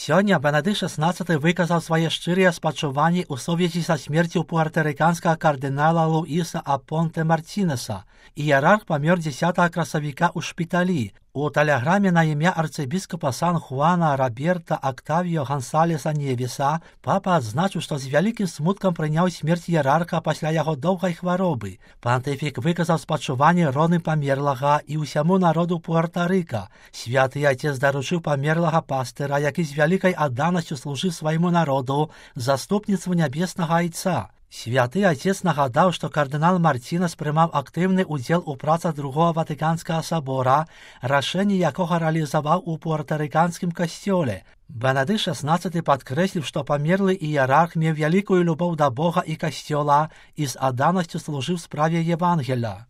Сёння Бенедыкт XVI выказаў свае шчырыя спачуванні ў сувязі са смерцю пуэртарыканскага кардынала Луіса Апонте Мартинеса. Іерарх памёр 10 красавіка ў шпіталі. У тэлеграме на імя арцыбіскапа Сан-Хуана Роберта Октавіо Гансалеса Невіса папа адзначыў, што з вялікім смуткам прыняў смерць іерарха пасля яго доўгай хваробы. Пантыфік выказаў спачуванні родным памерлага і ўсяму народу Пуэрта-Рыка. Святы Отец даручыў памерлага пастыра, які з вялікай адданасцю служыў свайму народу, заступніцтву нябеснага Айца. Святы Отец нагадаў, што кардынал Мартинес прымаў актыўны ўдзел у працах Другого Ватыканскага сабора, рашэнне якога рэалізаваў у пуэртарыканскім касцёле. Бенедыкт XVI падкрэсліў, што памерлы іерарх меў вялікую любоў да Бога і касцёла і з адданасцю служыў справе Евангелля.